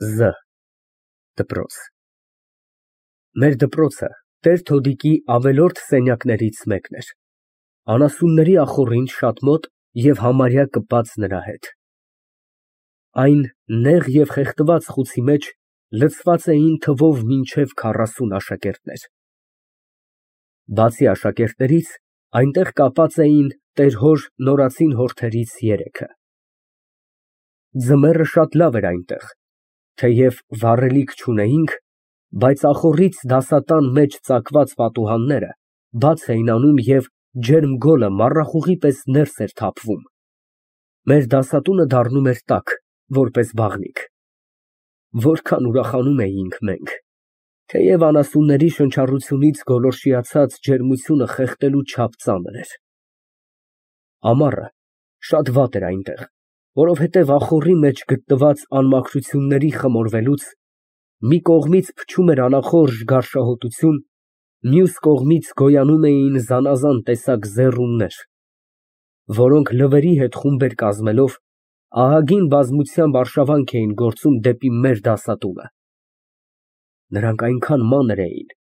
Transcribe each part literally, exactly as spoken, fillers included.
Զ դպրոց։ Մեր դպրոցը տեր-Թոդիկի ավելորդ սենյակներից մեկն էր, անասունների ախոռին շատ մոտ և համարյա կպած նրա հետ։ Այն նեղ և խեղդված խուցի մեջ լցված էին թվով մինչև քառասուն աշակերտներ։ Բացի աշակերտներից, այնտեղ կապած էին տեր֊հոր նորածին հորթերից երեքը։ Ձմեռը շատ լավ էր այնտեղ, թեև վառելիք չունեինք, բայց ախոռից դասատան մեջ ծակված պատուհանները բաց էին անում և ջերմ գոլը մառախուղի պես ներս էր թափվում։ Մեր դասատունը դառնում էր տաք, որպես բաղնիք։ Որքան ուրախանում էինք մենք, թեև անասունների շնչառությունից գոլորշիացած ջերմությունը խեղդելու չափ ծանր էր։ Ամառը շատ վատ էր այնտեղ, որովհետև ախոռի մեջ գտնված անմաքրությունների խմորվելուց մի կողմից փչում էր անախորժ գարշահոտություն, մյուս կողմից գոյանում էին զանազան տեսակ զեռուններ, որոնք լվերի հետ խումբեր կազմելով ահագին բազմությամբ արշավանք էին գործում դեպի մեր դասատունը։ Նրանք այնքան մանր էին,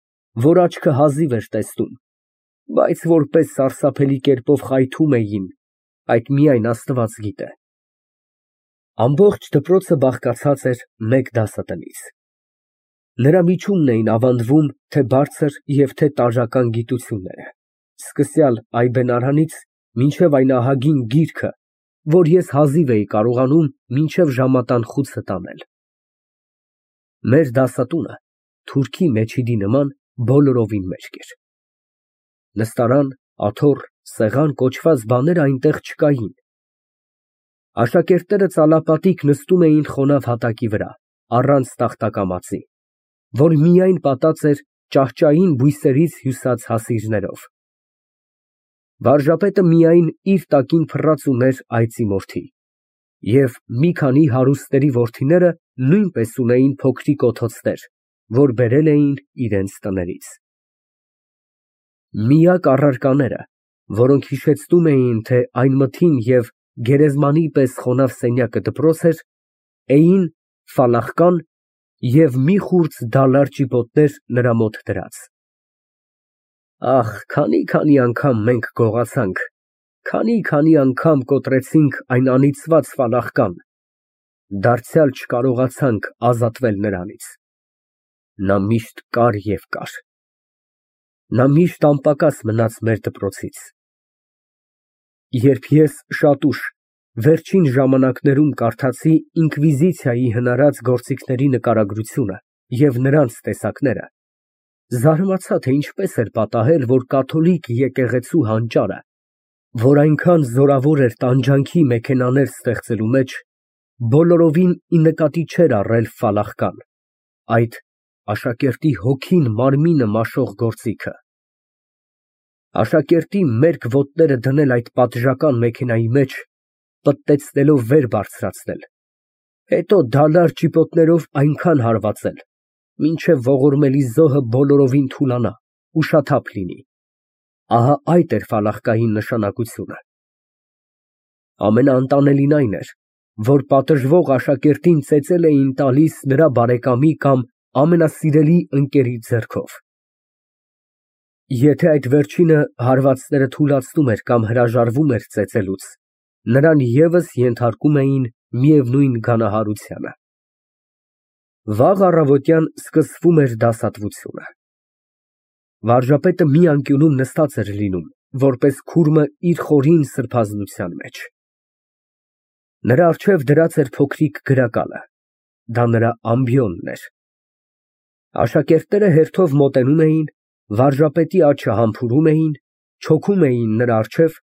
որ աչքը հազիվ էր տեսնում, բայց որպես սարսափելի կերպով խայթում էին, այդ միայն Աստված գիտե։ Ամբողջ դպրոցը բաղկացած էր մեկ դասատնից։ Նրա միջումն էին ավանդվում թե բարձր և թե տարրական գիտությունները, սկսյալ այբենարանից մինչև այն ահագին գիրքը, որ ես հազիվ էի կարողանում մինչև ժամատան խուցը տանել։ Մեր դասատունը թուրքի մեջիդի նման բոլորովին մեջք էր։ Նստարան, աթոռ, սեղան կոչված բաներ այնտեղ չկային։ Աշակերտները ծալապատիկ նստում էին խոնավ հատակի վրա, առանց տախտակամածի, որ միայն պատած էր ճահճային բույսերից հյուսած հասիրներով։ Վարժապետը միայն իր տակին փռած ուներ այծի մորթի, և մի քանի հարուստների որդիները նույնպես ունեին փոքրիկ օթոցներ, որ բերել էին իրենց տներից։ Միակ առարկաները, որոնք հիշեցնում էին, թե այն մթին և գերեզմանի պես խոնավ սենյակը դպրոց էր, էին ֆալախկան և մի խուրձ դալար ճիպոտներ նրա մոտ դրած։ Ահ, քանի՜֊քանի անգամ մենք գողացանք, քանի՜֊քանի անգամ կոտրեցինք այն անիծված ֆալախկան, դարձյալ չկարողացանք ազատվել նրանից։ Նա միշտ կար և կար։ Նա միշտ անպակաս մնաց մեր դպրոցից։ Երբ ես շատ ուշ, վերջին ժամանակներում կարդացի ինկվիզիցիայի հնարած գործիքների նկարագրությունը և նրանց տեսակները, զարմացա, թե ինչպես էր պատահել, որ կաթոլիկ եկեղեցու հանճարը, որ այնքան զորավոր էր տանջանքի մեքենաներ ստեղծելու մեջ, բոլորովին ի նկատի չէր առել ֆալախկան, այդ աշակերտի հոգին մարմինը մաշող գործիքը։ Աշակերտի մերկ ոտները դնել այդ պատժական մեքենայի մեջ, պտտեցնելով վեր բարձրացնել, հետո դալար ճիպոտներով այնքան հարվածել, մինչև ողորմելի զոհը բոլորովին թուլանա, ուշաթափ լինի, ահա այդ էր ֆալախկայի նշանակությունը։ Ամենաանտանելին այն էր, որ պատժվող աշակերտին ծեծել էին տալիս նրա բարեկամի կամ ամենասիրելի ընկերի ձեռքով։ Եթե այդ վերջինը հարվածները թուլացնում էր կամ հրաժարվում էր ծեծելուց, նրան ևս ենթարկում էին միևնույն գանահարությանը։ Վաղ առավոտյան սկսվում էր դասատվությունը։ Վարժապետը մի անկյունում նստած էր լինում, որպես քուրմը իր խորին սրբազնության մեջ։ Նրա առջև դրած էր փոքրիկ գրակալը, դա նրա ամբիոնն էր։ Աշակերտները հերթով մոտենում էին, վարժապետի աջը համբուրում էին, չոքում էին նրա առջև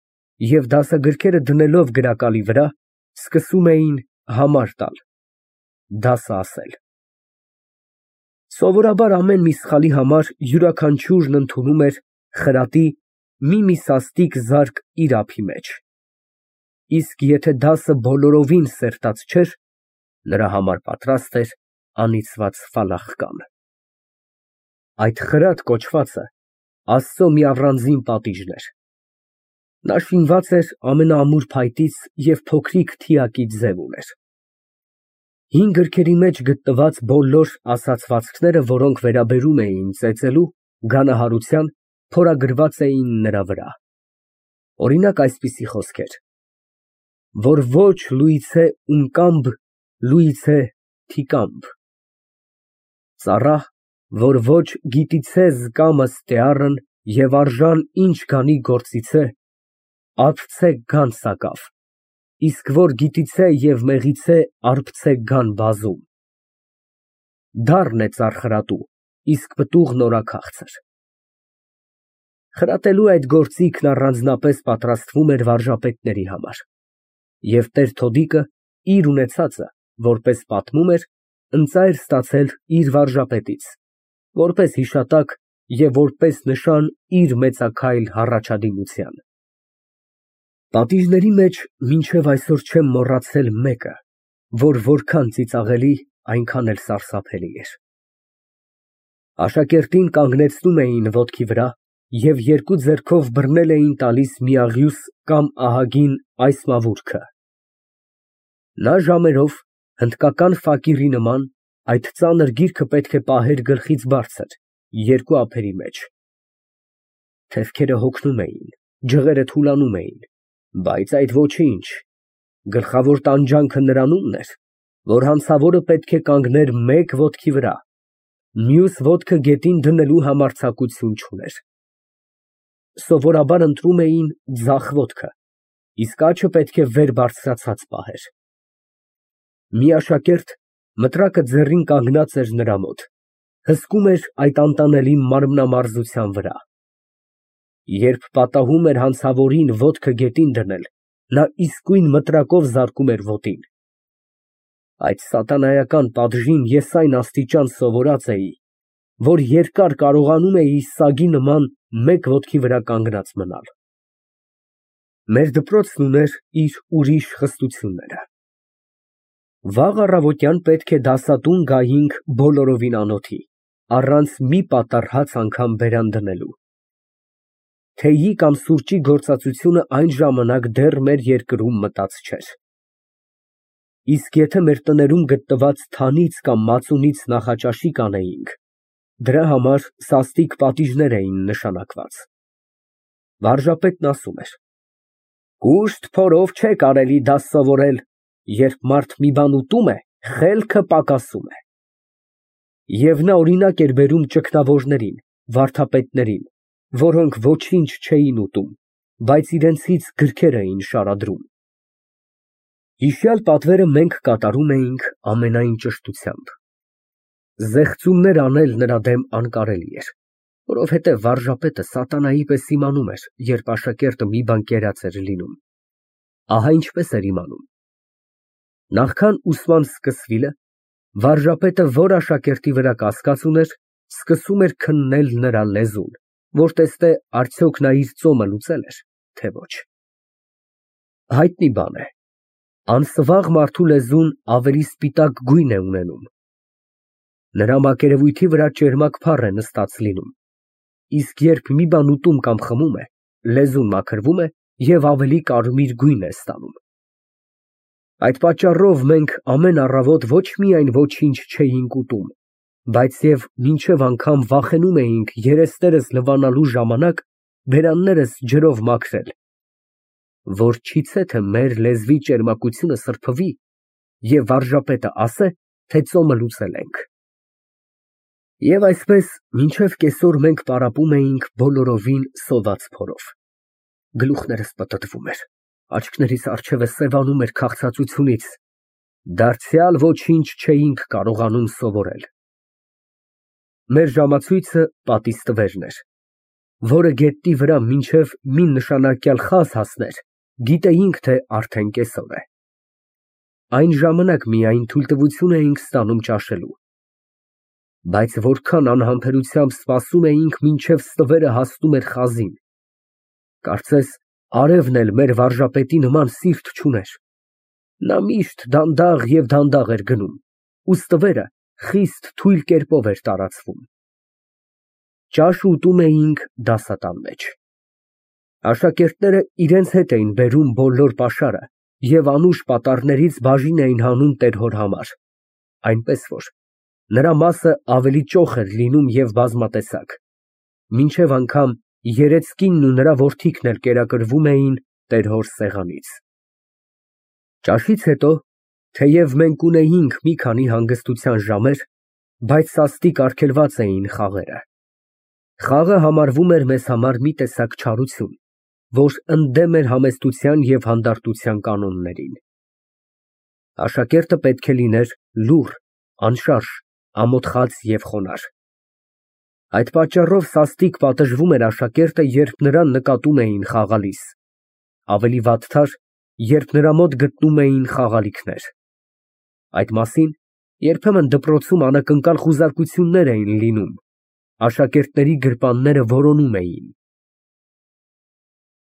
և դասագրքերը դնելով գրակալի վրա, սկսում էին համար տալ, դասը ասել։ Սովորաբար ամեն մի սխալի համար յուրաքանչյուրն ընդունում էր խրատի մի֊մի սաստիկ զարկ իր ափի մեջ, իսկ եթե դասը բոլորովին սերտած չէր, նրա համար պատրաստ էր անիծված ֆալախկան։ Այդ խրատ կոչվածը Աստծո մի առանձին պատիժն էր։ Նա շինված էր ամենաամուր փայտից և փոքրիկ թիակի ձև ուներ։ Հին գրքերի մեջ գտնված բոլոր ասացվածքները, որոնք վերաբերում էին ծեծելու, գանահարության, փորագրված էին նրա վրա, օրինակ, այսպիսի խոսքեր. որ ոչ լուիցե ունկամբ, լուիցե թիկամբ, ծառա, որ ոչ գիտիցե զկամը ստեառն և արժան ինչ գանի գործիցե, արբցե գան սակավ, իսկ որ գիտիցե և մեղիցե արբցե գան բազում, դառն է ծառ խրատու, իսկ պտուղն օրաքաղցր։ Խրատելու այդ գործիքն առանձնապես պատրաստվում էր վարժապետների համար, և տեր Թոդիկը իր ունեցածը, որպես պատմում էր, ընծա էր ստացել իր վարժապետից, որպես հիշատակ և որպես նշան իր մեծաքայլ հառաջադիմության։ Պատիժների մեջ մինչև այսօր չեմ մոռացել մեկը, որ որքան ծիծաղելի, այնքան էլ սարսափելի էր։ Աշակերտին կանգնեցնում էին ոտքի վրա և երկու ձեռքով բռնել էին տալիս միաղյուս կամ ահագին այս մավուրքը. նա ժամերով, հնդկական ֆակիրի նման, այդ ծանր գիրքը պետք է պահեր գլխից բարձր, երկու ափերի մեջ։ Թևքերը հոգնում էին, ջղերը թուլանում էին, բայց այդ ոչինչ, գլխավոր տանջանքը նրանումն էր, որ հանցավորը պետք է կանգներ մեկ ոտքի վրա, մյուս ոտքը գետին դնելու համարձակություն չուներ։ Սովորաբար ընտրում էին ձախ ոտքը, իսկ աջը պետք է վեր բարձրացած պահեր։ Մի աշակերտ մտրակը ձեռին կանգնած էր նրա մոտ, հսկում էր այդ անտանելի մարմնամարզության վրա։ Երբ պատահում էր հանցավորին ոտքը գետին դնել, նա իսկույն մտրակով զարկում էր ոտին։ Այդ սատանայական պատժին ես այն աստիճան սովորած էի, որ երկար կարողանում էի սագի նման մեկ ոտքի վրա կանգնած մնալ։ Մեր դպրոցն ուներ իր ուրիշ խստությունները։ Վաղ առավոտյան պետք է դասատուն գայինք բոլորովին անոթի, առանց մի պատառ հաց անգամ բերան դնելու։ Թեյի կամ սուրճի գործածությունը այն ժամանակ դեռ մեր երկրում մտած չէր։ Իսկ եթե մեր տներում գտնված թանից կամ մածունից նախաճաշի կանեինք, դրա համար սաստիկ պատիժներ էին նշանակված։ Վարժապետն ասում էր. «Կուշտ փորով չէ կարելի դաս սովորել, երբ մարդ մի բան ուտում է, խելքը պակասում է»։ Եվ նա օրինակ էր բերում ճգնավորներին, վարդապետներին, որոնք ոչինչ չէին ուտում, բայց իրենցից գրքեր էին շարադրում։ Հիշյալ պատվերը մենք կատարում էինք ամենայն ճշտությամբ։ Զեղծումներ անել նրա դեմ անկարելի էր, որովհետև վարժապետը սատանայի պես իմանում էր, երբ աշակերտը մի բան կերած էր լինում։ Ահա ինչպես էր իմանում. նախքան ուսման սկսվիլը, վարժապետը, որ աշակերտի վրա կասկած ուներ, սկսում էր քննել նրա լեզուն, որ տեսնե արդյոք նա իր ծոմը լուծել էր, թե ոչ։ Հայտնի բան է, անսվաղ մարդու լեզուն ավելի սպիտակ գույն է ունենում։ Նրա մակերևույթի վրա ճերմակ փառ է նստած լինում, իսկ երբ մի բան ուտում կամ խմում է, լեզուն մաքրվում է և ավելի կարմիր գույն է ստանում։ Այդ պատճառով մենք ամեն առավոտ ոչ միայն ոչինչ չէինք ուտում, բայց և մինչև անգամ վախենում էինք երեսներս լվանալու ժամանակ բերաններս ջրով մաքրել, որ չիցե թե մեր լեզվի ճերմակությունը սրբվի և վարժապետը ասե, թե ծոմը լուծել ենք։ Եվ այսպես մինչև կեսօր մենք պարապում էինք բոլորովին սոված փորով։ Գլուխներս պտտվում էր, աչքներիս առջևը սևանում էր քաղցածությունից, դարձյալ ոչինչ չէինք կարողանում սովորել։ Մեր ժամացույցը պատիստվերն էր, որը գետնի վրա մինչև մի նշանակյալ խազ հասներ, գիտեինք, թե արդեն կեսօր է։ Այն ժամանակ միայն թույլտվություն էինք ստանում ճաշելու։ Բայց որքան անհամբերությամբ սպասում էինք, մինչև ստվերը հասնում էր խազին։ Կարծես արևն էլ մեր վարժապետի նման սիրտ չուներ։ Նա միշտ դանդաղ և դանդաղ էր գնում, ու ստվերը խիստ թույլ կերպով էր տարածվում։ Ճաշ ուտում էինք դասատան մեջ։ Աշակերտները իրենց հետ էին բերում բոլոր պաշարը և անուշ պատառներից բաժին էին հանում տեր հոր համար, այնպես որ նրա մասը ավելի ճոխ էր լինում և բազմատեսակ, մինչև անգամ երեծկինն ու նրա որդիքն էլ կերակրվում էին տեր֊հոր սեղանից։ Ճաշից հետո, թեև մենք ունեինք մի քանի հանգստության ժամեր, բայց սաստիկ արգելված էին խաղերը։ Խաղը համարվում էր մեզ համար մի տեսակ չարություն, որ ընդդեմ էր համեստության և հանդարտության կանոններին։ Աշակերտը պետք է լիներ լուռ, անշարժ, ամոթխած և խոնարհ։ Այդ պատճառով սաստիկ պատժվում էր աշակերտը, երբ նրան նկատում էին խաղալիս, ավելի վատթար, երբ նրա մոտ գտնում էին խաղալիքներ։ Այդ մասին երբեմն դպրոցում անակնկալ խուզարկություններ էին լինում, աշակերտների գրպանները որոնում էին։